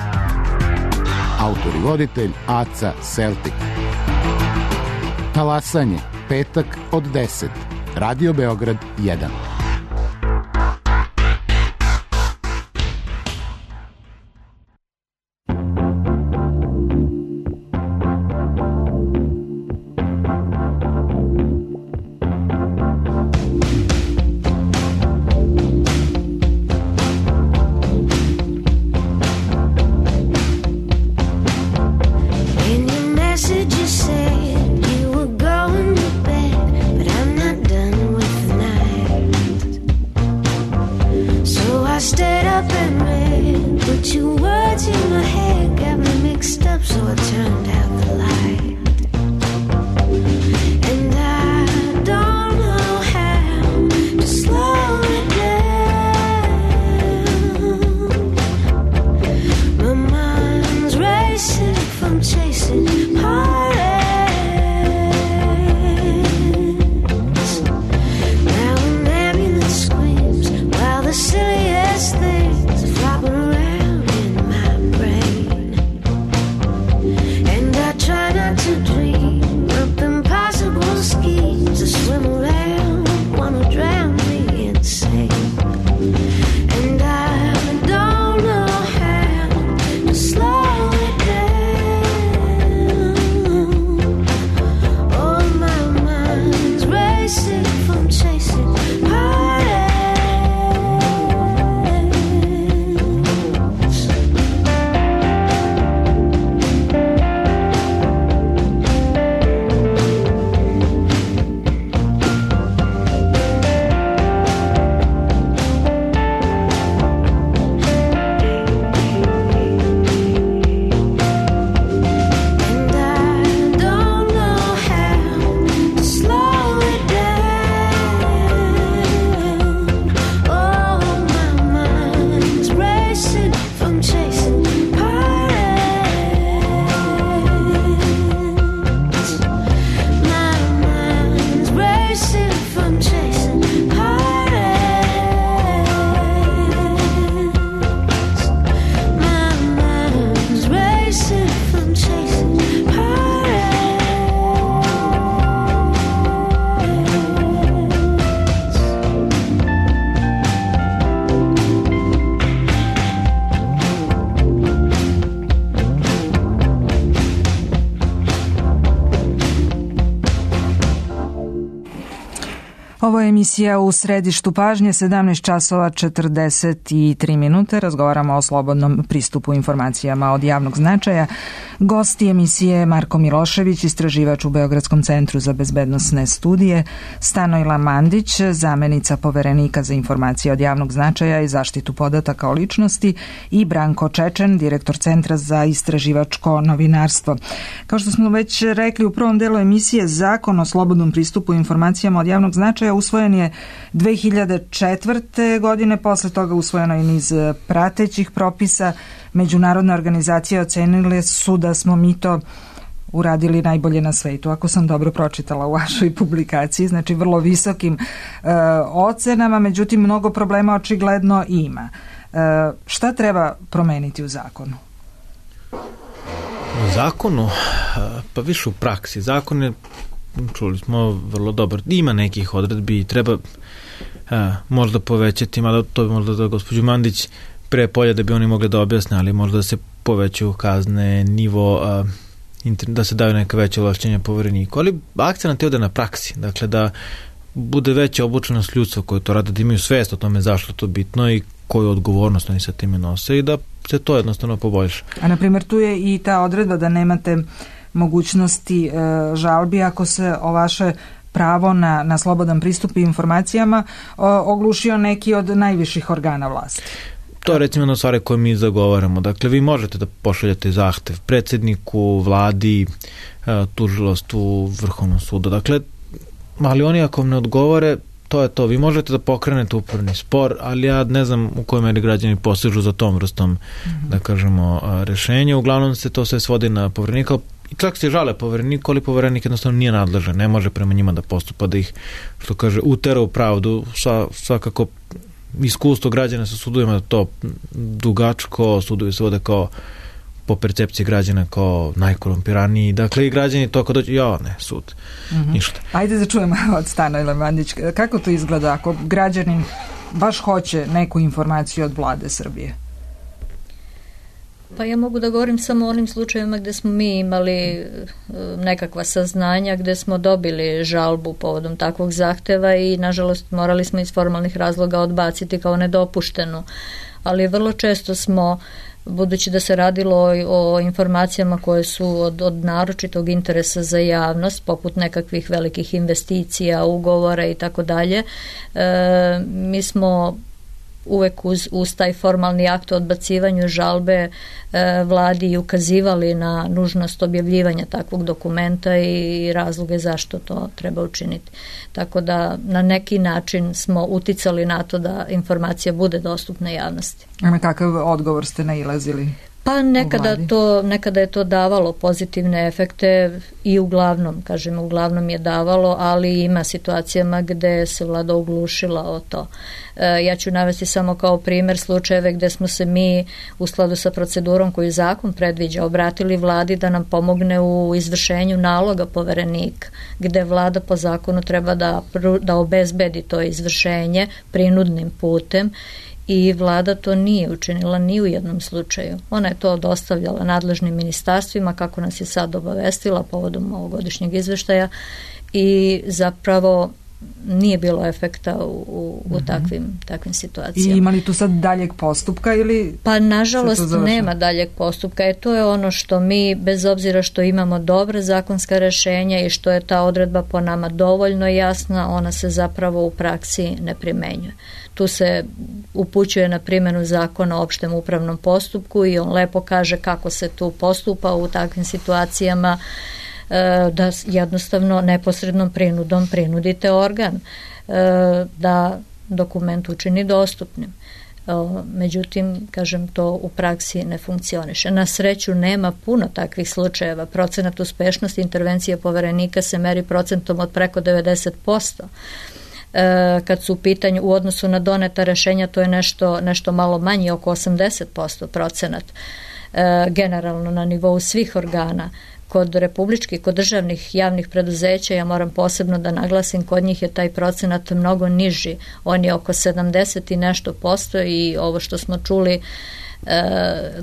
K: Autor i voditelj Aca Celtic. Talasanje, petak od 10. Radio Beograd 1.
L: And I don't know how to slow it down.
A: Ovo je emisija U središtu pažnje, 17 časova 43 minute. Razgovaramo o slobodnom pristupu informacijama od javnog značaja. Gosti emisije Marko Milošević, istraživač u Beogradskom centru za bezbednosne studije, Stanojla Mandić, zamenica poverenika za informacije od javnog značaja i zaštitu podataka o ličnosti, i Branko Čečen, direktor Centra za istraživačko novinarstvo. Kao što smo već rekli u prvom delu emisije, Zakon o slobodnom pristupu informacijama od javnog značaja usvojen je 2004. godine, posle toga usvojeno je niz pratećih propisa. Međunarodne organizacije ocenile su da smo mi to uradili najbolje na svetu, ako sam dobro pročitala u vašoj publikaciji, znači vrlo visokim ocenama, međutim mnogo problema očigledno ima. Šta treba promeniti u zakonu?
B: U zakonu? Pa više u praksi. Zakon je, čuli smo, vrlo dobar. Ima nekih odredbi i treba možda povećati, mada to bi možda da gospođu Mandić pre polja da bi oni mogli da objasne, ali možda da se povećaju kazne, nivo, da se daju neka veća ovlašćenja povereniku, ali akcenat je ovde na praksi, dakle da bude veća obučenost ljudstva koji to rade, da imaju svest o tome zašto to bitno i koju odgovornost oni sa time nose i da se to jednostavno poboljša.
A: A na primjer tu je i ta odredba da nemate mogućnosti žalbi ako se o vaše pravo na slobodan pristup informacijama oglušio neki od najviših organa vlasti.
B: To je recimo jedna stvar koju mi zagovaramo. Dakle, vi možete da pošaljete zahtev predsjedniku, vladi, tužilaštvu, Vrhovnom sudu. Dakle, ali oni ako vam ne odgovore, to je to. Vi možete da pokrenete upravni spor, ali ja ne znam u kojoj meri građani posežu za tom vrstom, da kažemo, rešenja. Uglavnom se to sve svodi na poverenika. I čak se žale povereniku, ali poverenik jednostavno nije nadležan. Ne može prema njima da postupa, da ih, što kaže, utera u pravdu. Svakako iskustvo građana sa sudovima da to dugačko, sudovi se vode kao po percepciji građana kao najkorumpiraniji. Dakle, i građani to ako dođe, sud, ništa.
A: Ajde da čujemo od Stanojla Mandić. Kako to izgleda ako građanin baš hoće neku informaciju od vlade Srbije?
C: Pa ja mogu da govorim samo o onim slučajevima gde smo mi imali nekakva saznanja, gde smo dobili žalbu povodom takvog zahteva i nažalost morali smo iz formalnih razloga odbaciti kao nedopuštenu. Ali vrlo često smo, budući da se radilo o informacijama koje su od naročitog interesa za javnost, poput nekakvih velikih investicija, ugovora i tako dalje, mi smo uvek uz taj formalni akt o odbacivanju žalbe vladi ukazivali na nužnost objavljivanja takvog dokumenta i razloge zašto to treba učiniti. Tako da na neki način smo uticali na to da informacija bude dostupna javnosti.
A: A na kakav odgovor ste nailazili?
C: Pa nekada je to davalo pozitivne efekte i uglavnom je davalo, ali ima situacijama gde se vlada oglušila o to. Ja ću navesti samo kao primjer slučajeve gde smo se mi u skladu sa procedurom koju zakon predviđa obratili vladi da nam pomogne u izvršenju naloga poverenika, gde vlada po zakonu treba da obezbedi to izvršenje prinudnim putem. I vlada to nije učinila ni u jednom slučaju. Ona je to dostavljala nadležnim ministarstvima, kako nas je sad obavestila povodom ovogodišnjeg izveštaja, i zapravo nije bilo efekta u takvim situacijama.
A: I ima li tu sad daljeg postupka ili?
C: Pa nažalost nema daljeg postupka. To je ono što mi, bez obzira što imamo dobra zakonska rešenja i što je ta odredba po nama dovoljno jasna, ona se zapravo u praksi ne primenjuje. Tu se upućuje na primjenu zakona o opštem upravnom postupku i on lepo kaže kako se tu postupa u takvim situacijama, da jednostavno neposrednom prinudom prinudite organ da dokument učini dostupnim. Međutim, kažem, to u praksi ne funkcioniše. Na sreću nema puno takvih slučajeva. Procenat uspešnosti intervencije poverenika se meri procentom od preko 90%. Kad su u pitanju u odnosu na doneta rešenja, to je nešto malo manji, oko 80% procenat. Generalno na nivou svih organa. Kod republičkih, kod državnih javnih preduzeća, ja moram posebno da naglasim, kod njih je taj procenat mnogo niži. On je oko 70 i nešto posto i ovo što smo čuli,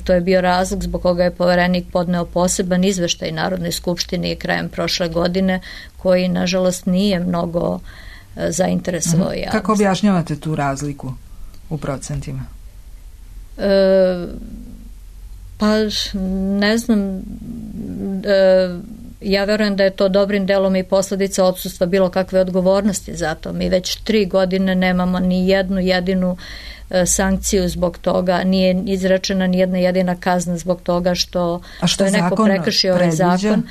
C: to je bio razlog zbog koga je poverenik podneo poseban izveštaj Narodnoj skupštini krajem prošle godine, koji nažalost nije mnogo zainteresovao javnost.
A: Kako objašnjavate tu razliku u procentima?
C: Pa ne znam, ja verujem da je to dobrim delom i posljedica odsustva bilo kakve odgovornosti za to. Mi već 3 godine nemamo ni jednu jedinu sankciju zbog toga, nije izrečena ni jedna jedina kazna zbog toga što je neko prekršio ovaj zakon.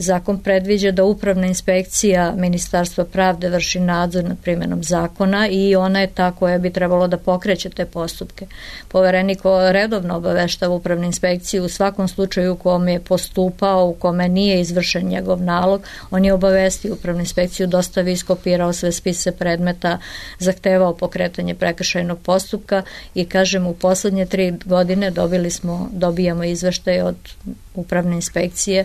C: Zakon predviđa da upravna inspekcija Ministarstva pravde vrši nadzor nad primjenom zakona i ona je ta koja bi trebalo da pokreće te postupke. Poverenik redovno obaveštava upravnu inspekciju u svakom slučaju u kome je postupao, u kome nije izvršen njegov nalog, on je obavestio upravnu inspekciju, dostavio, iskopirao sve spise predmeta, zahtevao pokretanje prekršajnog postupka i kažem u poslednje 3 godine dobijamo izveštaj od upravne inspekcije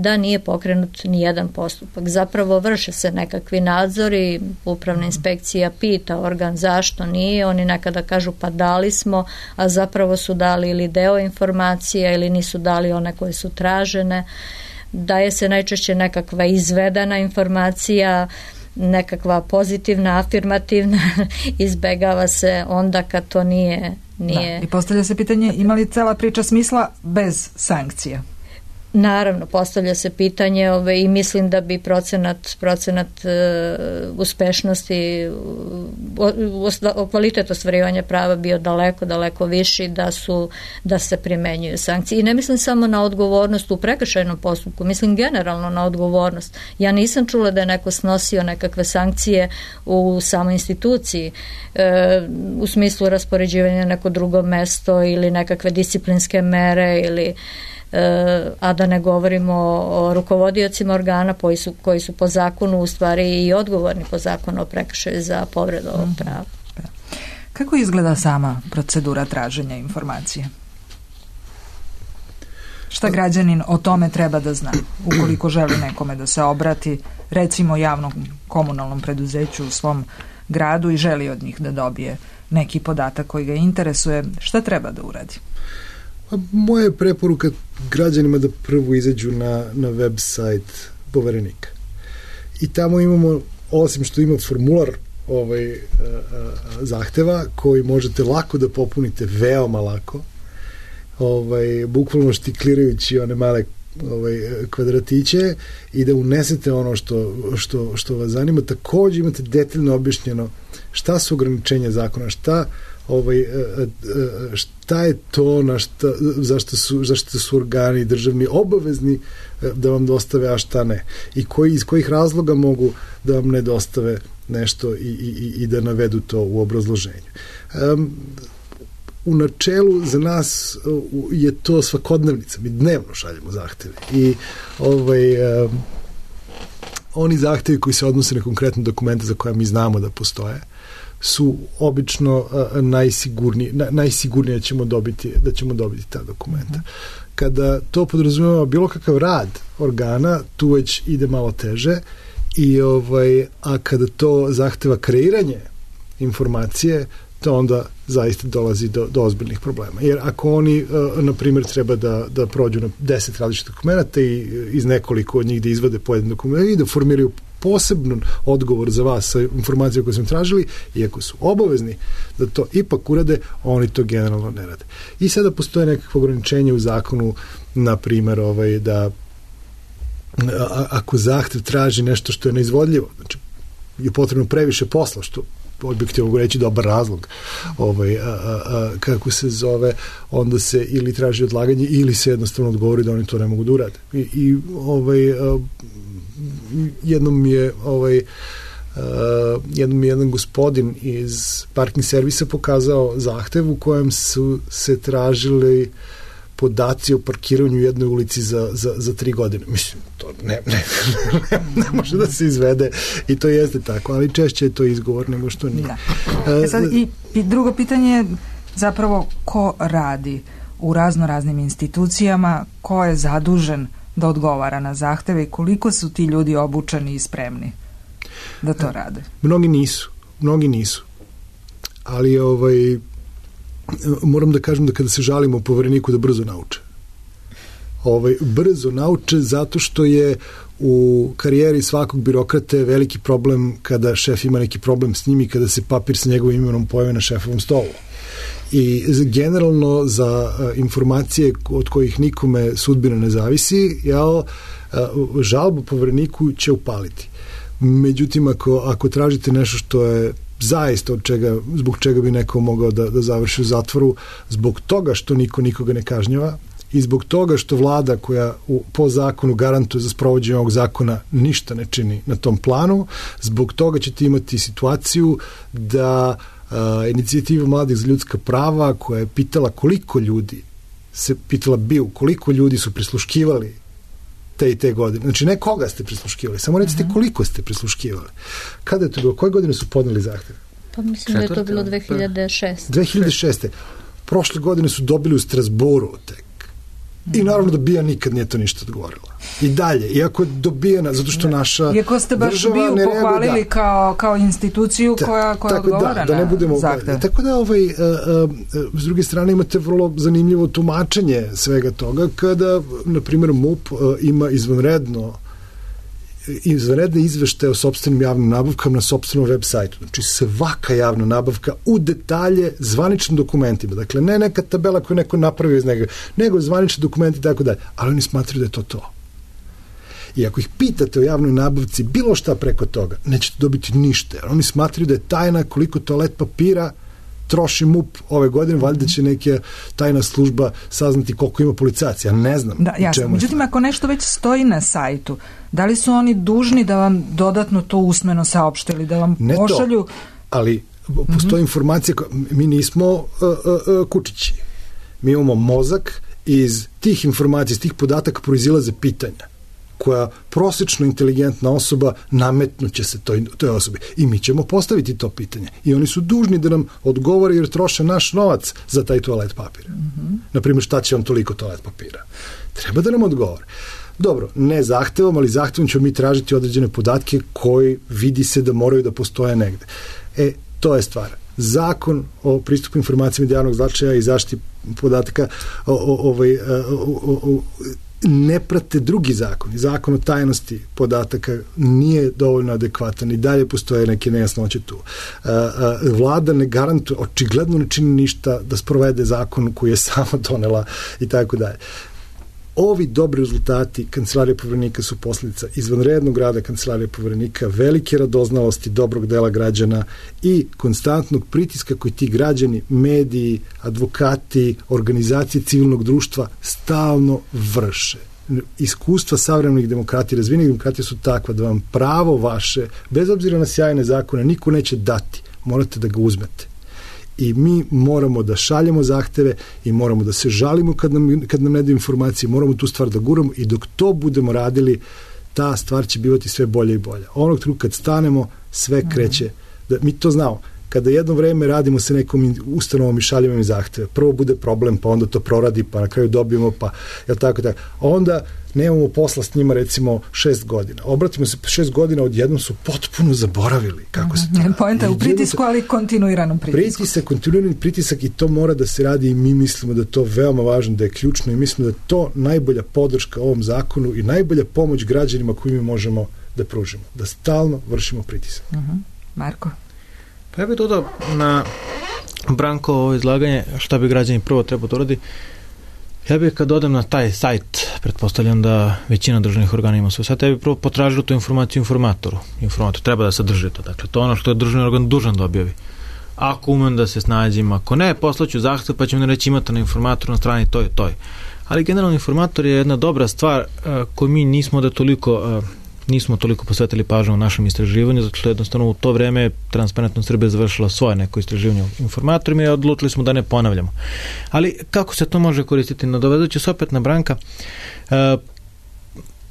C: da nije pokrenut ni jedan postupak. Zapravo vrše se nekakvi nadzori, upravna inspekcija pita organ zašto nije, oni nekada kažu pa dali smo, a zapravo su dali ili deo informacija ili nisu dali one koje su tražene. Daje se najčešće nekakva izvedena informacija, nekakva pozitivna, afirmativna, izbegava se onda kad to nije.
A: Da. I postavlja se pitanje ima li cela priča smisla bez sankcija?
C: Naravno, postavlja se pitanje i mislim da bi procenat uspešnosti, kvalitet ostvarivanja prava bio daleko viši da se primenjuju sankcije. I ne mislim samo na odgovornost u prekršajnom postupku, mislim generalno na odgovornost. Ja nisam čula da je neko snosio nekakve sankcije u samoj instituciji u smislu raspoređivanja na neko drugo mesto ili nekakve disciplinske mere ili a da ne govorimo o rukovodiocima organa koji su po zakonu u stvari i odgovorni po zakonu o prekršaju za povredu ovog prava.
A: Kako izgleda sama procedura traženja informacije? Šta građanin o tome treba da zna ukoliko želi nekome da se obrati, recimo javnom komunalnom preduzeću u svom gradu i želi od njih da dobije neki podatak koji ga interesuje, šta treba da uradi?
D: Moja je preporuka građanima da prvo izađu na web sajt Poverenika. I tamo imamo, osim što ima formular zahteva koji možete lako da popunite, veoma lako, bukvalno štiklirajući one male kvadratiće i da unesete ono što vas zanima. Također imate detaljno objašnjeno šta su ograničenja zakona, šta je to zašto su organi državni obavezni da vam dostave, a šta ne. I iz kojih razloga mogu da vam ne dostave nešto i da navedu to u obrazloženju. U načelu za nas je to svakodnevnica. Mi dnevno šaljemo zahteve. I oni zahtevi koji se odnose na konkretne dokumente za koje mi znamo da postoje su obično najsigurnije da ćemo dobiti ta dokumenta. Kada to podrazumijeva bilo kakav rad organa, tu već ide malo teže a kada to zahteva kreiranje informacije, to onda zaista dolazi do ozbiljnih problema. Jer ako oni, na primjer, treba da prođu na 10 različitih dokumenta i iz nekoliko od njih da izvade pojedine dokumente i da formiraju poseban odgovor za vas sa informacijom koju smo tražili, iako su obavezni da to ipak urade, oni to generalno ne rade. I sada postoje nekakve ograničenje u zakonu, na primjer, da ako zahtev traži nešto što je neizvodljivo, znači je potrebno previše posla, što objektivno mogu reći dobar razlog, kako se zove, onda se ili traži odlaganje ili se jednostavno odgovori da oni to ne mogu da urade. I jednom je jedan gospodin iz parking servisa pokazao zahtev u kojem su se tražili podaci o parkiranju u jednoj ulici za 3 godine. Mislim, to ne može da se izvede i to jeste tako, ali češće je to izgovor nego što nije.
A: Sad, i drugo pitanje je zapravo ko radi u raznoraznim institucijama, ko je zadužen da odgovara na zahteve i koliko su ti ljudi obučeni i spremni da to rade? Mnogi nisu. Ali moram da kažem da kada se žalimo Povereniku da brzo nauče.
D: brzo nauče, zato što je u karijeri svakog birokrate veliki problem kada šef ima neki problem s njim i kada se papir sa njegovim imenom pojavi na šefovom stolu. I generalno za informacije od kojih nikome sudbina ne zavisi, žalbu povereniku će upaliti. Međutim, ako tražite nešto što je zaista zbog čega bi neko mogao da završi u zatvoru, zbog toga što niko nikoga ne kažnjava i zbog toga što vlada koja po zakonu garantuje za sprovođenje ovog zakona ništa ne čini na tom planu, zbog toga ćete imati situaciju da inicijativa mladih za ljudska prava koja je pitala koliko ljudi koliko ljudi su prisluškivali te i te godine. Znači, ne koga ste prisluškivali, samo recite koliko ste prisluškivali. Kada je to bilo? Koje godine su podneli zahtev?
C: Pa mislim da je to bilo 2006.
D: 2006. Prošle godine su dobili u Strasbourgu tek. I naravno da BIA nikad nije to ništa odgovorila. I dalje, iako je dobijena, zato što naša
A: iako ste baš BIA pohvalili kao instituciju koja odgovara na zahtev.
D: Tako da, s druge strane imate vrlo zanimljivo tumačenje svega toga, kada, na primjer, MUP ima izvanredne izveštaje o sopstvenim javnim nabavkama na sopstvenom web sajtu. Znači, svaka javna nabavka u detalje zvaničnim dokumentima. Dakle, ne neka tabela koju neko napravio iz njega, nego zvanični dokumenti i tako dalje. Ali oni smatraju da je to. I ako ih pitate o javnoj nabavci bilo šta preko toga, nećete dobiti ništa. Jer oni smatraju da je tajna koliko toalet papira troši MUP ove godine, valjda će neka tajna služba saznati koliko ima policajaca. Ja ne znam.
A: Da, jasno. Međutim, ako nešto već stoji na sajtu, da li su oni dužni da vam dodatno to usmeno saopšte ili da vam pošalju?
D: Ali postoji informacija, mi nismo kučići. Mi imamo mozak i iz tih informacija, iz tih podataka proizilaze pitanja koja prosječno inteligentna osoba nametnuće se toj osobi. I mi ćemo postaviti to pitanje. I oni su dužni da nam odgovore jer troše naš novac za taj toalet papir. Naprimjer, šta će vam toliko toalet papira? Treba da nam odgovore. Dobro, ne zahtevom, ali zahtevom ćemo mi tražiti određene podatke koji vidi se da moraju da postoje negde. To je stvar. Zakon o pristupu informacijama od javnog značaja i zaštiti podataka ne prate drugi zakon. Zakon o tajnosti podataka nije dovoljno adekvatan i dalje postoje neke nejasnoće tu. Vlada ne garantuje, očigledno ne čini ništa da sprovede zakon koji je sama donela i tako dalje. Ovi dobri rezultati Kancelarije Poverenika su posljedica izvanrednog rada Kancelarije Poverenika, velike radoznalosti dobrog dela građana i konstantnog pritiska koji ti građani, mediji, advokati, organizacije civilnog društva stalno vrše. Iskustva savremenih demokratija, razvijenih demokratija su takva da vam pravo vaše, bez obzira na sjajne zakone, niko neće dati. Morate da ga uzmete. I mi moramo da šaljemo zahteve i moramo da se žalimo kad nam ne daju informacije, moramo tu stvar da guramo i dok to budemo radili, ta stvar će bivati sve bolje i bolje. Onog trenutka kad stanemo, sve kreće. Mi to znamo. Kada jedno vreme radimo sa nekom ustanovom i šaljemo im zahteve, prvo bude problem, pa onda to proradi, pa na kraju dobijemo, pa tako. Onda nemamo posla s njima recimo 6 godina. Obratimo se 6 godina, odjednom su potpuno zaboravili kako se to radi.
A: Poenta je u pritisku, ali kontinuiranom pritisku.
D: Kontinuirani pritisak i to mora da se radi i mi mislimo da je to veoma važno, da je ključno i mislimo da je to najbolja podrška ovom zakonu i najbolja pomoć građanima koju mi možemo da pružimo. Da stalno vršimo pritisak.
A: Marko?
B: Pa ja bih dodao na Branko ovo izlaganje šta bi građani prvo trebao da uradi. Ja bih kad odem na taj sajt, pretpostavljam da većina državnih organa ima svoj sajt, ja bih prvo potražio tu informaciju informatoru. Informator treba da sadrži to. Dakle, to je ono što je državni organ dužan da objavi. Ako umem da se snađem, ako ne, poslaću zahtev pa ću mi reći imate na informatoru na strani to i to. Ali generalno informator je jedna dobra stvar koju mi nismo toliko posvetili pažnju u našem istraživanju, zato što jednostavno u to vreme Transparentno Srbija završila svoje neko istraživanje o informatorima i odlučili smo da ne ponavljamo. Ali kako se to može koristiti? Nadovezujući se opet na Branka,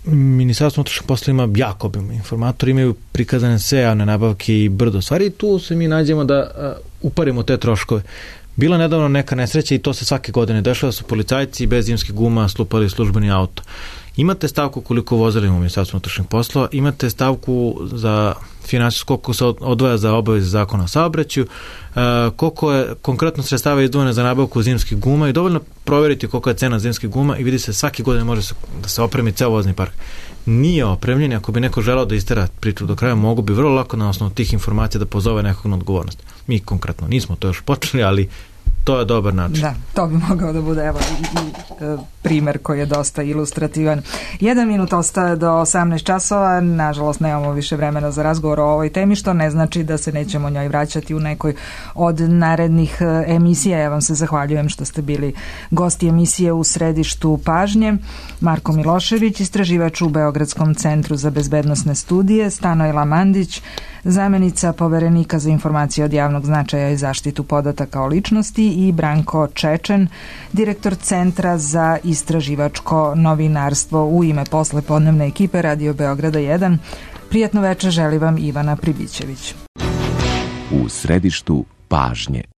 B: Ministarstvo unutrašnjih poslova ima jako obim. Informatori imaju prikazane sve javne nabavke i brdo stvari i tu se mi nađemo da uparimo te troškove. Bila nedavno neka nesreća i to se svake godine dešava, su policajci bez zimskih guma slupali službeni auto. Imate stavku koliko vozila ima u Ministarstvu unutrašnjih poslova, imate stavku za finansijsko, koliko se odvaja za obaveze zakona o saobraćaju, koliko je konkretno sredstava izdvojeno za nabavku zimskih guma i dovoljno provjeriti koliko je cena zimskih guma i vidi se svake godine može da se opremi ceo vozni park. Nije opremljen, ako bi neko želeo da istera priču do kraja, mogu bi vrlo lako na osnovu tih informacija da pozove nekog na odgovornost. Mi konkretno nismo to još počeli, ali to je dobar način.
A: Da, to bi mogao da bude evo i primer koji je dosta ilustrativan. 1 minut ostaje do 18 časova, nažalost nemamo više vremena za razgovor o ovoj temi, što ne znači da se nećemo njoj vraćati u nekoj od narednih emisija. Ja vam se zahvaljujem što ste bili gosti emisije U središtu pažnje. Marko Milošević, istraživač u Beogradskom centru za bezbednosne studije, Stanojla Mandić, zamenica poverenika za informacije od javnog značaja i zaštitu podataka o ličnosti, i Branko Čečen, direktor Centra za istraživačko novinarstvo. U ime poslepodnevne ekipe Radio Beograda 1, prijatno večer želi vam Ivana Pribićević.
L: U središtu pažnje.